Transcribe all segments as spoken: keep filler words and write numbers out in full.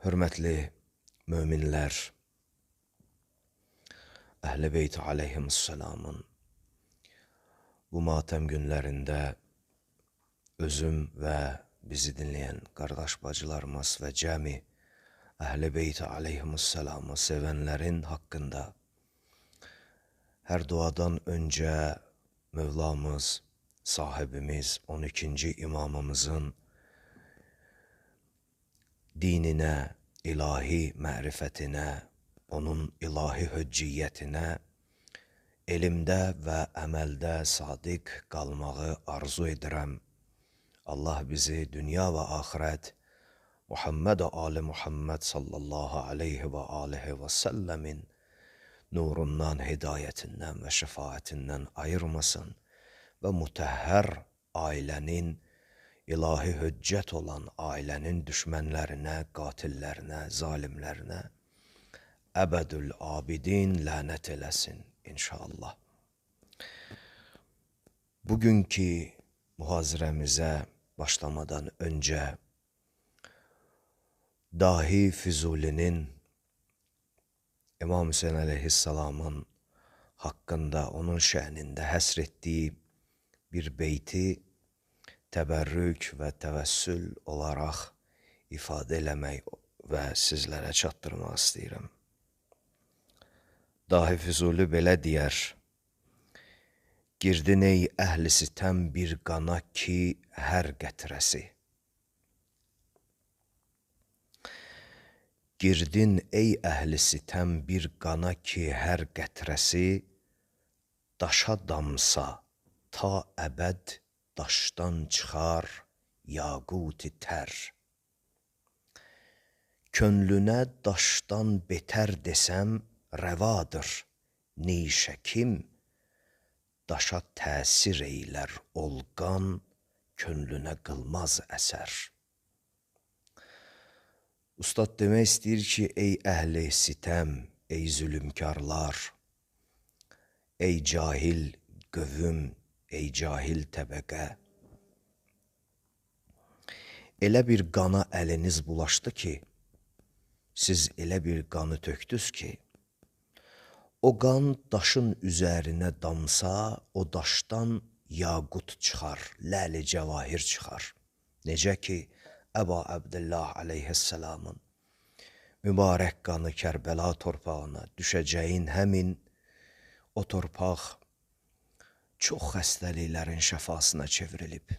Hörmətli möminlər, Əhl-i Beyt aleyhimussalamın bu matəm günlərində özüm və bizi dinləyən qardaş bacılarımız və cəmi Əhl-i Beyt aleyhimussalamı sevənlərin haqqında hər duadan öncə Mövlamız, sahibimiz, on ikinci imamımızın dininə, ilahi mərifətinə, onun ilahi höcciyyətinə, elmdə və əməldə sadiq qalmağı arzu edirəm. Allah bizi dünya və axirət Muhammed və Ali Muhammed sallallahu aleyhi və alihi və səlləmin nurundan, hidayətindən və şəfaətindən ayırmasın və mütəhhər ailənin, ilahi höccət olan ailənin düşmənlərinə, qatillərinə, zalimlərinə əbədül abidin lənət eləsin inşallah. Bugünkü mühazirəmizə başlamadan öncə Dahi Füzulinin İmam Hüseyin əleyhissalamın haqqında, onun şəhnində həsr etdiyi bir beyti təbərrük və təvəssül olaraq ifadə eləmək və sizlərə çatdırmaq istəyirəm. Dahi Füzuli belə deyər: girdin ey əhli sitəm bir qana ki hər qətrəsi. Girdin ey əhli sitəm bir qana ki hər qətrəsi, daşa damsa ta əbəd daşdan çıxar yaquti tər. Könlünə daşdan betər desəm rəvadır, neyşəkim daşa təsir eylər olqan, könlünə qılmaz əsər. Ustad demək istəyir ki, ey əhli sitəm, ey zülümkarlar, ey cahil qövüm, ey cahil təbəqə, elə bir qana əliniz bulaşdı ki, siz elə bir qanı tökdünüz ki, o qan daşın üzərinə damsa, o daşdan yaqut çıxar, ləli cəvahir çıxar. Necə ki, Əba Əbdillah aleyhissalamın mübarək qanı Kərbəla torpağına düşəcəyin həmin o torpaq çox xəstəliklərin şəfasına çevrilib.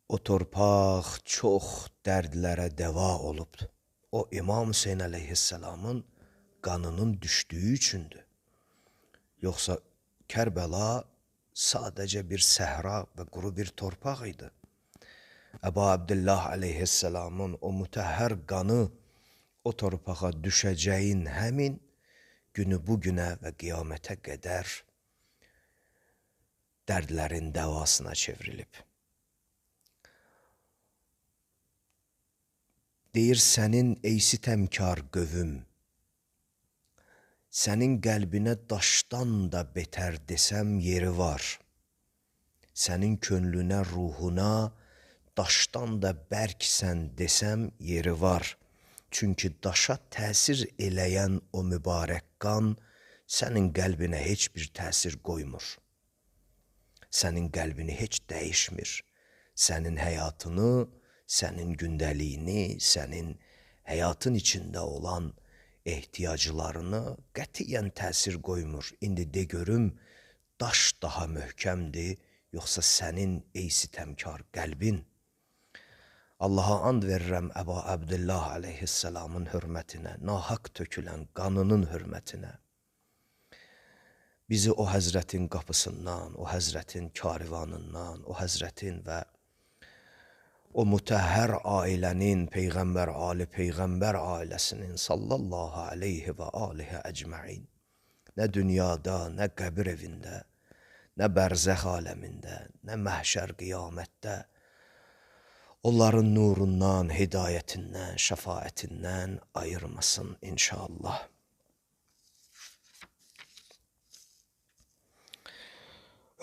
O torpaq çox dərdlərə dəva olub. O İmam Hüseyin əleyhissalamın qanının düşdüyü üçündür. Yoxsa Kərbəla sadəcə bir səhra və quru bir torpaq idi. Əba Əbdillah aleyhissalamın o mütəhhər qanı o torpağa düşəcəyin həmin günü bugünə və qiyamətə qədər dərdlərin dəvasına çevrilib. Deyir sənin ey sitəmkar qövüm, sənin qəlbinə daşdan da betər desəm yeri var. Sənin könlünə, ruhuna daşdan da bərksən desəm yeri var. Çünki daşa təsir eləyən o mübarək qan sənin qəlbinə heç bir təsir qoymur. Sənin qəlbini heç dəyişmir. Sənin həyatını, sənin gündəliyini, sənin həyatın içində olan ehtiyaclarını qətiyyən təsir qoymur. İndi de görüm, daş daha möhkəmdir, yoxsa sənin ey sitəmkar qəlbin? Allaha and verirəm Əba Əbdillah aleyhissalamın hörmətinə, nahaq tökülən qanının hörmətinə. Bizi o həzrətin qapısından, o həzrətin karivanından, o həzrətin və o mütəhhər ailənin, Peyğəmbər, Ali Peyğəmbər ailəsinin sallallahu aleyhi və alihi əcməin, nə dünyada, nə qəbir evində, nə bərzəx aləmində, nə məhşər qiyamətdə, onların nurundan, hidayətindən, şəfaətindən ayırmasın inşallah.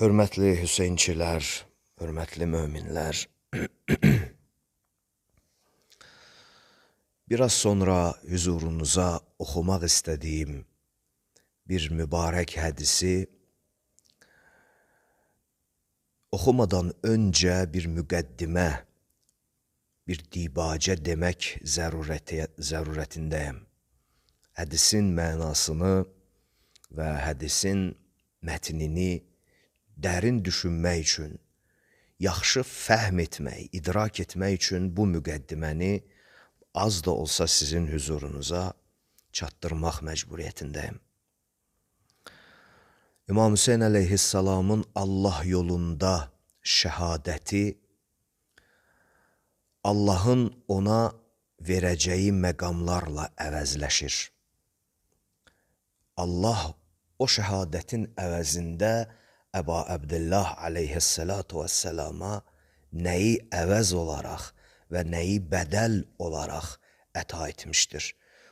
Hörmətli Hüseynçilər, hörmətli möminlər, Biraz sonra hüzurunuza oxumaq istədiyim bir mübarək hədisi oxumadan öncə bir müqəddimə, bir dibacə demək zərurəti, zərurətindəyəm. Hədisin mənasını və hədisin mətnini dərin düşünmək üçün, yaxşı fəhm etmək, idrak etmək üçün bu müqəddiməni az da olsa sizin hüzurunuza çatdırmaq məcburiyyətindəyim. İmam Hüseyn əleyhissalamın Allah yolunda şəhadəti Allahın ona verəcəyi məqamlarla əvəzləşir. Allah o şəhadətin əvəzində Əba Əbdillah əleyhissalatu vəssəlama nəyi əvəz olaraq və nəyi bədəl olaraq əta etmişdir.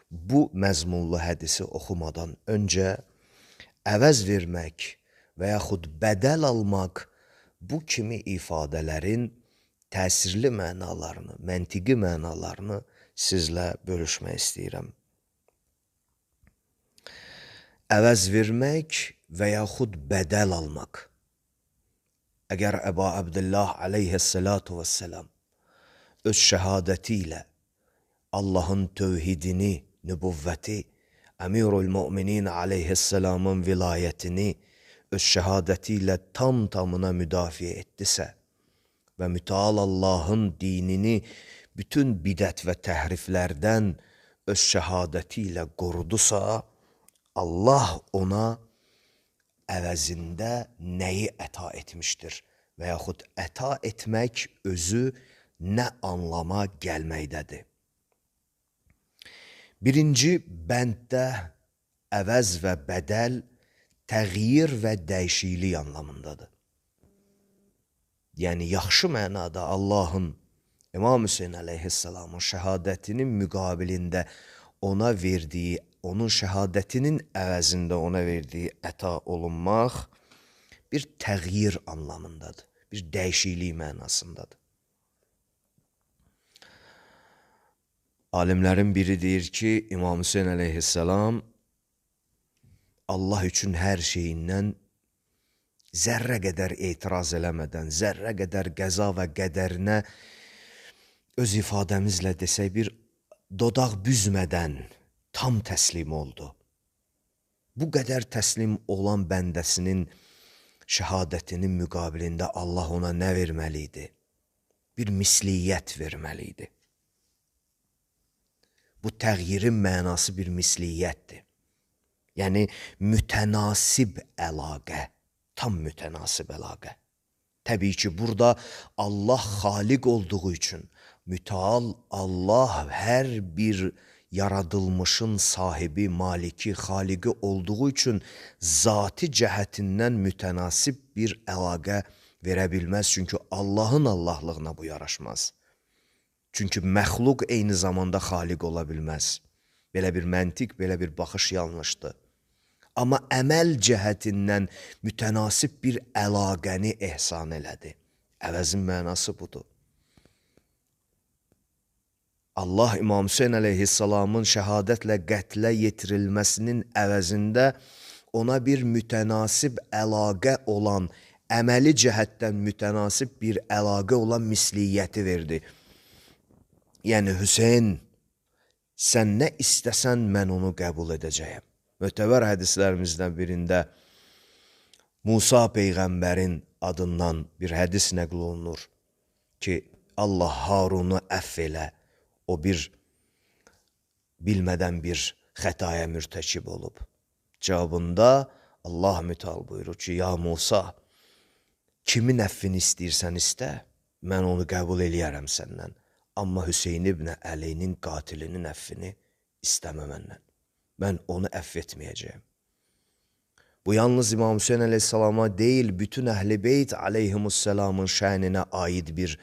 Bu məzmunlu hədisi oxumadan öncə əvəz vermək və yaxud bədəl almaq bu kimi ifadələrin təsirli mənalarını, məntiqi mənalarını sizlə bölüşmək istəyirəm. Əvəz vermək və yaxud bədəl almaq. Əgər Əba Əbdillah əleyhissalatu vəssalam öz şəhadəti ilə Allahın tövhidini, nübüvvəti, Əmirul Möminin əleyhissalamın vilayətini öz şəhadəti ilə tam tamına müdafiə etdisə və mütəal Allahın dinini bütün bidət və təhriflərdən öz şəhadəti ilə qorudusa, Allah ona əvəzində nəyi əta etmişdir və yaxud əta etmək özü nə anlama gəlməkdədir. Birinci bənddə əvəz və bədəl təğyir və dəyişiklik anlamındadır. Yəni, yaxşı mənada Allahın İmam Hüseyn əleyhissalamın şəhadətinin müqabilində ona verdiyi, onun şəhadətinin əvəzində ona verdiyi əta olunmaq bir təğyir anlamındadır, bir dəyişiklik mənasındadır. Alimlərin biri deyir ki, İmam Hüseyn əleyhissalam Allah üçün hər şeyindən zərrə qədər etiraz eləmədən, zərrə qədər qəza və qədərinə öz ifadəmizlə desək bir dodaq büzmədən tam təslim oldu. Bu qədər təslim olan bəndəsinin şəhadətinin müqabilində Allah ona nə verməli idi? Bir misliyyət verməli idi. Bu təğyirin mənası bir misliyyətdir. Yəni, mütənasib əlaqə, tam mütənasib əlaqə. Təbii ki, burada Allah xaliq olduğu üçün, mütəal Allah hər bir yaradılmışın sahibi, maliki, xaliqi olduğu üçün zati cəhətindən mütənasib bir əlaqə verə bilməz. Çünki Allahın Allahlığına bu yaraşmaz. Çünki məxluq eyni zamanda xaliq ola bilməz. Belə bir məntiq, belə bir baxış yanlışdır. Amma əməl cəhətindən mütənasib bir əlaqəni ehsan elədi. Əvəzin mənası budur. Allah İmam Hüseyn əleyhissalamın şəhadətlə qətlə yetirilməsinin əvəzində ona bir mütənasib əlaqə olan, əməli cəhətdən mütənasib bir əlaqə olan misliyyəti verdi. Yəni, Hüseyn, sən nə istəsən, mən onu qəbul edəcəyəm. Mötəbər hədislərimizdən birində Musa Peyğəmbərin adından bir hədis nəql olunur ki, Allah Harunu əff elə, o bir bilmədən bir xətaya mürtəkib olub. Cavabında Allah müteal buyurur ki, ya Musa, kimin əffini istəyirsən istə, mən onu qəbul eləyərəm səndən. Amma Hüseyn ibn Əlinin qatilinin əffini istəmə məndən. Mən onu əff etməyəcəyim. Bu yalnız İmam Hüseyn əleyhissalama deyil, bütün Əhl-i Beyt əleyhimussalamın şəninə aid bir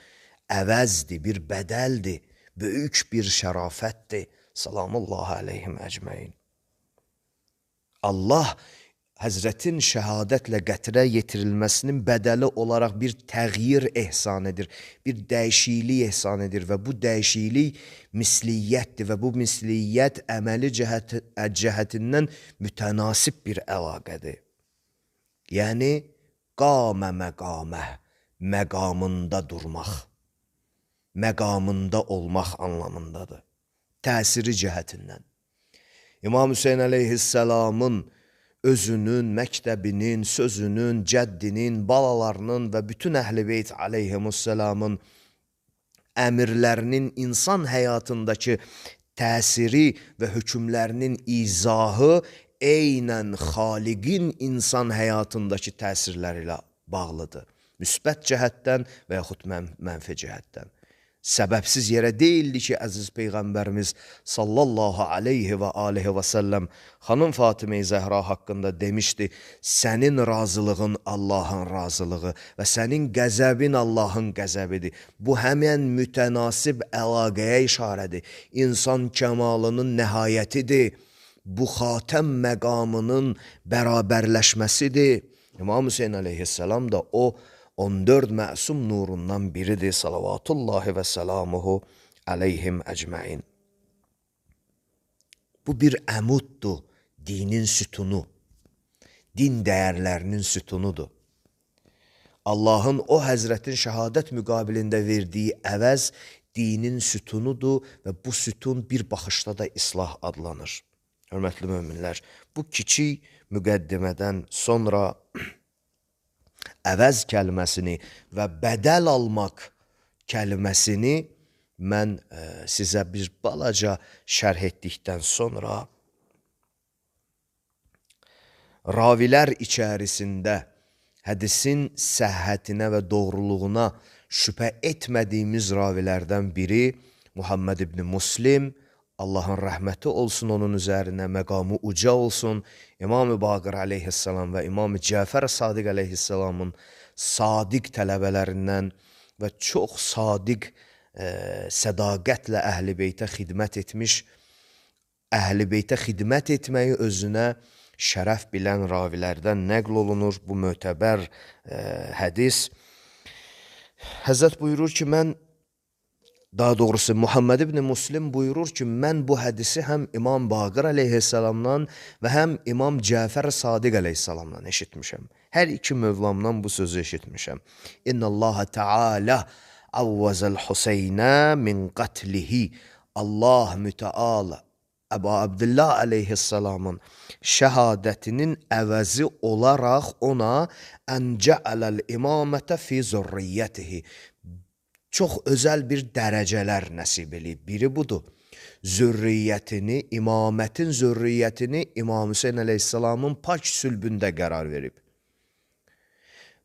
əvəzdir, bir bədəldir, böyük bir şərafətdir. Salamullahi əleyhim əcməin. Allah Həzrətin şəhadətlə qətrə yetirilməsinin bədəli olaraq bir təğyir ehsan edir, bir dəyişiklik ehsan edir və bu dəyişiklik misliyyətdir və bu misliyyət əməli cəhət, cəhətindən mütənasib bir əlaqədir. Yəni, qamə məqamə, məqamında durmaq, məqamında olmaq anlamındadır, təsiri cəhətindən. İmam Hüseyin əleyhisselamın özünün, məktəbinin, sözünün, cəddinin, balalarının və bütün əhl-i beyt aleyhimusselamın əmirlərinin insan həyatındakı təsiri və hökmlərinin izahı eynən xaliqin insan həyatındakı təsirləri ilə bağlıdır. Müsbət cəhətdən və yaxud mən, mənfi cəhətdən. Səbəbsiz yerə deyildi ki, əziz Peyğəmbərimiz sallallahu aleyhi və aleyhi və səlləm xanım Fatimə-i Zəhra haqqında demişdi, sənin razılığın Allahın razılığı və sənin qəzəbin Allahın qəzəbidir. Bu həmən mütənasib əlaqəyə işarədir. İnsan kəmalının nəhayətidir. Bu xatəm məqamının bərabərləşməsidir. İmam Hüseyin əleyhisselam da o on dörd məsum nurundan biridir. Salavatullahi və selamuhu aleyhim əcməin. Bu bir əmuddur, dinin sütunu, din dəyərlərinin sütunudur. Allahın o həzrətin şəhadət müqabilində verdiyi əvəz dinin sütunudur və bu sütun bir baxışda da islah adlanır. Hörmətli möminlər, bu kiçik müqəddimədən sonra əvəz kəlməsini və bədəl almaq kəlməsini mən e, sizə bir balaca şərh etdikdən sonra ravilər içərisində hədisin səhhətinə və doğruluğuna şübhə etmədiyimiz ravilərdən biri Muhammed ibn Muslim, Allahın rəhməti olsun onun üzərinə, məqamı uca olsun, İmam-ı Baqir aleyhisselam və İmam-ı Cəfər Sadiq aleyhisselamın sadiq tələbələrindən və çox sadiq e, sədaqətlə əhl-i beytə xidmət etmiş, əhl-i beytə xidmət etməyi özünə şərəf bilən ravilərdən nəql olunur bu mötəbər e, hədis. Həzrət buyurur ki, mən Daha doğrusu Muhammed ibn Muslim buyurur ki, mən bu hədisi həm İmam Baqir aleyhisselamdan və həm İmam Cəfər Sadiq aleyhisselamdan eşitmişəm. Hər iki mövlamdan bu sözü eşitmişəm. İnna Allah Teala avvazal Huseynə min qatlihi. Allah müteala Əbu Abdullah aleyhisselamın şəhadətinin əvəzi olaraq ona ən cəaləl imamətə fi zürriyyətihi. Çox özəl bir dərəcələr nəsib eləyib. Biri budur. Zürriyyətini, imamətin zürriyyətini İmam Hüseyin əleyhisselamın pak sülbündə qərar verib.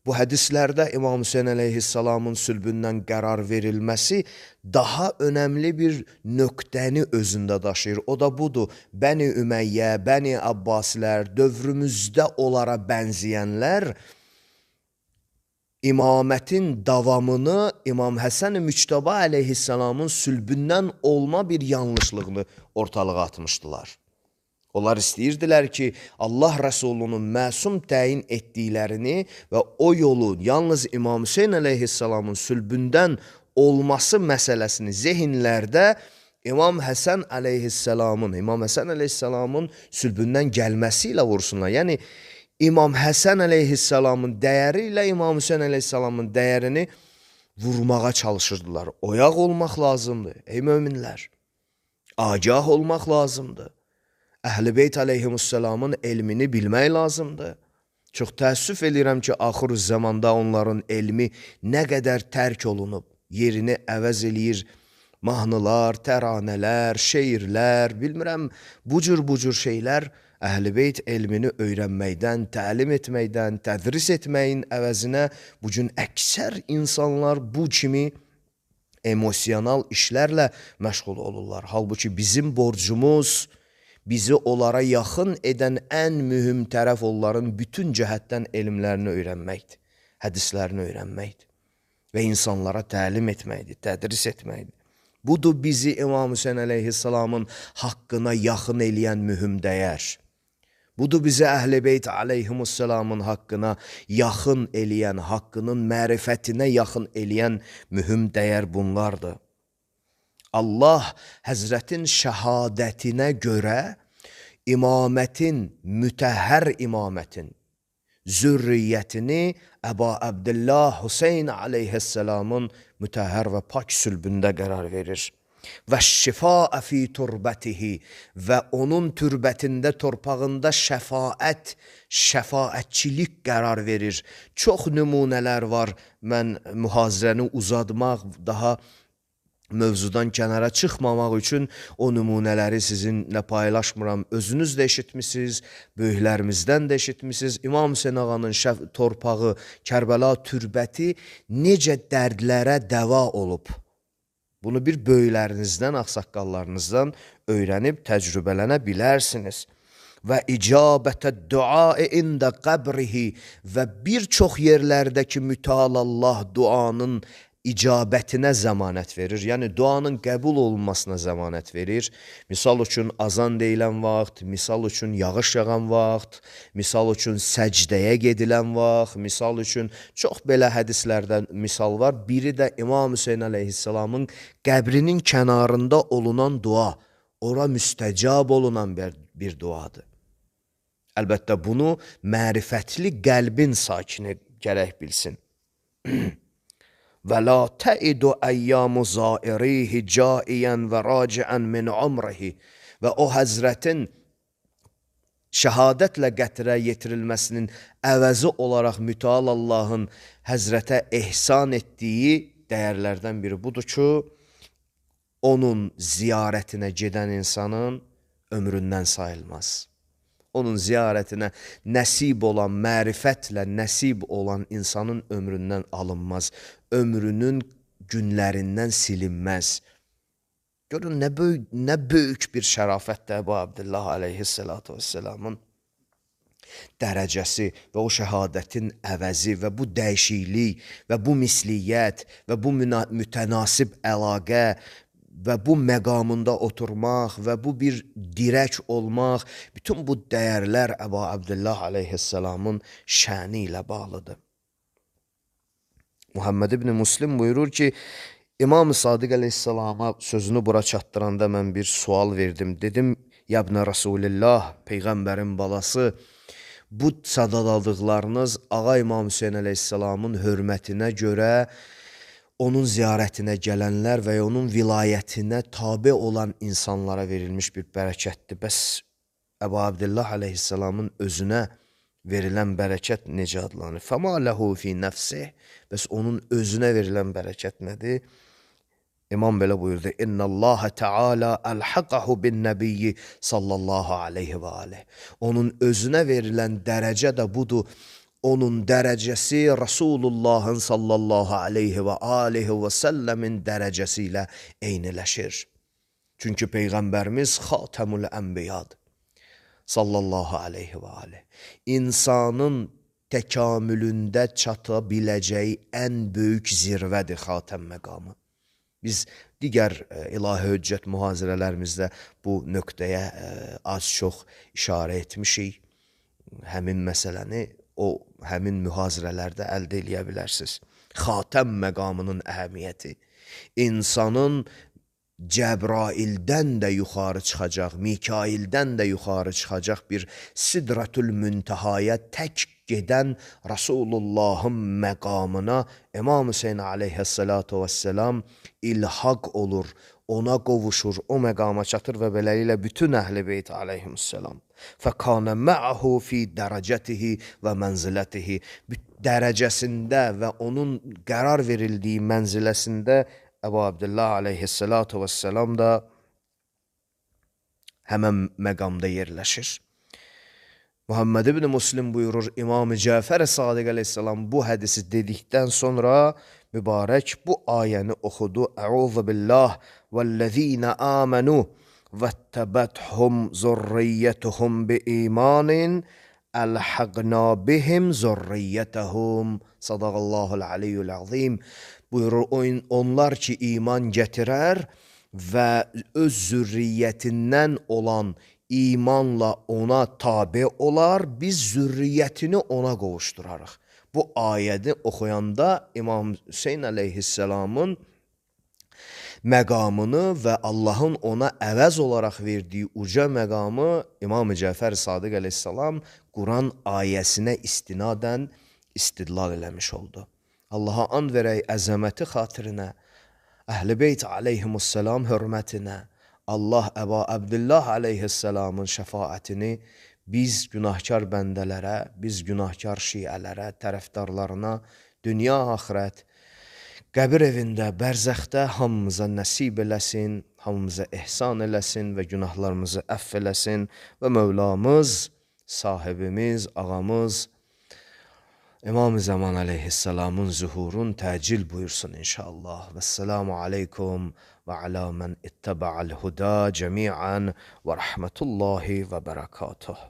Bu hədislərdə İmam Hüseyin əleyhisselamın sülbündən qərar verilməsi daha önəmli bir nöqtəni özündə daşıyır. O da budur. Bəni Ümeyyə, Bəni Abbasilər, dövrümüzdə onlara bənzəyənlər İmamətin davamını İmam Həsən-i Müçtəba əleyhisselamın sülbündən olma bir yanlışlığını ortalığa atmışdılar. Onlar istəyirdilər ki, Allah Rəsulunun məsum təyin etdiklərini və o yolu yalnız İmam Hüseyin əleyhisselamın sülbündən olması məsələsini zehinlərdə İmam Həsən əleyhisselamın, İmam Həsən əleyhisselamın sülbündən gəlməsi ilə vursunlar. Yəni, İmam Həsən əleyhisselamın dəyəri ilə İmam Hüseyin əleyhisselamın dəyərini vurmağa çalışırdılar. Oyaq olmaq lazımdır, ey möminlər. Agah olmaq lazımdır. Əhl-i Beyt aleyhimusselamın elmini bilmək lazımdır. Çox təəssüf edirəm ki, axır zamanda onların elmi nə qədər tərk olunub, yerini əvəz eləyir. Mahnılar, təranələr, şeirlər, bilmirəm, bu cür bu cür şeylər Əhl-i Beyt elmini öyrənməkdən, təlim etməkdən, tədris etməyin əvəzinə bugün əksər insanlar bu kimi emosional işlərlə məşğul olurlar. Halbuki bizim borcumuz, bizi onlara yaxın edən ən mühüm tərəf onların bütün cəhətdən elmlərini öyrənməkdir, hədislərini öyrənməkdir və insanlara təlim etməkdir, tədris etməkdir. Budur bizi İmam Hüseyin əleyhisselamın haqqına yaxın eləyən mühüm dəyər. Budur bizə Əhl-i Beyt aleyhimussalamın haqqına yaxın eləyən, haqqının mərifətinə yaxın eləyən mühüm dəyər bunlardır. Allah Həzrətin şəhadətinə görə imamətin, mütəhhər imamətin zürriyyətini Əba Əbdillah Hüseyn aleyhisselamın mütəhhər və pak sülbündə qərar verir. Və şifaə fi turbətihi və onun türbətində, torpağında şəfaət, şəfaətçilik qərar verir. Çox nümunələr var. Mən mühazirəni uzatmaq, daha mövzudan kənara çıxmamaq üçün o nümunələri sizinlə paylaşmıram. Özünüz də eşitmişsiniz, böyüklərimizdən də eşitmişsiniz. İmam Hüseyn ağanın şəf torpağı, Kərbəla türbəti necə dərdlərə dəva olub. Bunu bir böyüklərinizdən, ağsaqqallarınızdan öyrənib təcrübələnə bilərsiniz. Və icabətə duae ində qəbrihi və bir çox yerlərdəki mütəalallah duanın icabətinə zəmanət verir. Yəni, duanın qəbul olunmasına zəmanət verir. Misal üçün, azan deyilən vaxt, misal üçün, yağış yağan vaxt, misal üçün, səcdəyə gedilən vaxt, misal üçün, çox belə hədislərdən misal var. Biri də İmam Hüseyn aleyhisselamın qəbrinin kənarında olunan dua, ora müstəcab olunan bir, bir duadır. Əlbəttə, bunu mərifətli qəlbin sakini gərək bilsin. Və la təidu əyyamu zairihi caiyən və raciən min umrihi və o həzrətin şəhadətlə qətrə yetirilməsinin əvəzi olaraq mütəal Allahın həzrətə ehsan etdiyi dəyərlərdən biri budur ki, onun ziyarətinə gedən insanın ömründən sayılmaz. Onun ziyarətinə nəsib olan, mərifətlə nəsib olan insanın ömründən alınmaz. Ömrünün günlərindən silinməz. Görün, nə böyük, nə böyük bir şərafətdir Əbu Abdillah aleyhissalatu vesselamın dərəcəsi və o şəhadətin əvəzi və bu dəyişiklik və bu misliyyət və bu mütənasib əlaqə və bu məqamında oturmaq və bu bir dirək olmaq, bütün bu dəyərlər Əbu Abdillah aleyhisselamın şəni ilə bağlıdır. Muhammed ibn Müslim buyurur ki, İmam-ı Sadiq aleyhisselama sözünü bura çatdıranda mən bir sual verdim. Dedim, Yabnə Rasulillah, Peyğəmbərin balası, bu sadaladıqlarınız Ağa İmam Hüseyn aleyhisselamın hörmətinə görə onun ziyarətinə gələnlər və onun vilayətinə tabe olan insanlara verilmiş bir bərəkətdir. Bəs Əbu Abdillah aleyhisselamın özünə verilən bərəkət necə adlanır? Fəma ləhu fi nəfsih. Bəs onun özünə verilən bərəkət nədir? İmam belə buyurdu. İnna Allah Teala əlhaqahu bin nəbiyyi sallallahu aleyhi və aleyh. Onun özünə verilən dərəcə də budur. Onun dərəcəsi Rasulullahın sallallahu aleyhi və aleyhi və səlləmin dərəcəsi ilə eyniləşir. Çünki Peyğəmbərimiz Xatəmül Ənbiyadır. Sallallahu aleyhi və aleyh. İnsanın təkamülündə çata biləcəyi ən böyük zirvədir Xatəm məqamı. Biz digər ilahi höccət mühazirələrimizdə bu nöqtəyə az-çox işarə etmişik. Həmin məsələni o həmin mühazirələrdə əldə eləyə bilərsiniz. Xatəm məqamının əhəmiyyəti, insanın Cəbraildən də yuxarı çıxacaq, Mikaildən də yuxarı çıxacaq bir Sidratul Müntəhaya tək gedən Rasulullahın məqamına İmam Hüseyn aleyhissalatu vesselam ilhaq olur, ona qovuşur, o məqama çatır və beləliklə bütün Əhl-i Beyt aleyhissalam. Fəkənə mə'ahu fi dərəcətihi və mənzilətihi. Dərəcəsində və onun qərar verildiyi mənziləsində Əbu Abdillah aleyhissalatu vesselam da həmən məqamda yerləşir. Muhammed ibn Müslim buyurur, İmam-ı Cəfər Sadiq aleyhissalam bu hədisi dedikdən sonra mübarək bu ayəni oxudu. Əuzu billah vəllezine amenu vəttəbəthum zurriyyətuhum bi imanin əlhəqna bihim zurriyyətəhum. Sadaqallahul aliyyul azim. Buyurur, onlar ki iman gətirər və öz zürriyyətindən olan imanla ona tabe olar, biz zürriyyətini ona qovuşdurarıq. Bu ayəni oxuyanda İmam Hüseyn əleyhisselamın məqamını və Allahın ona əvəz olaraq verdiyi uca məqamı İmam Cəfər Sadiq əleyhisselam Quran ayəsinə istinadən istidlal eləmiş oldu. Allaha and verək əzəməti xatirinə, Əhl-i Beyt aleyhimussalam hörmətinə, Allah Əba Abdullah aleyhisselamın şəfaətini biz günahkar bəndələrə, biz günahkar şiələrə, tərəfdarlarına, dünya axirət, qəbir evində, bərzəxdə hamımıza nəsib eləsin, hamımıza ehsan eləsin və günahlarımızı əff eləsin və Mövlamız, sahibimiz, ağamız, İmam-ı Zaman aleyhisselamın zuhurun təcil buyursun inşallah. Vəsselamu aleykum və alə mən ittəbə'al huda cəmi'ən və rəhmətullahi və bərəkatuh.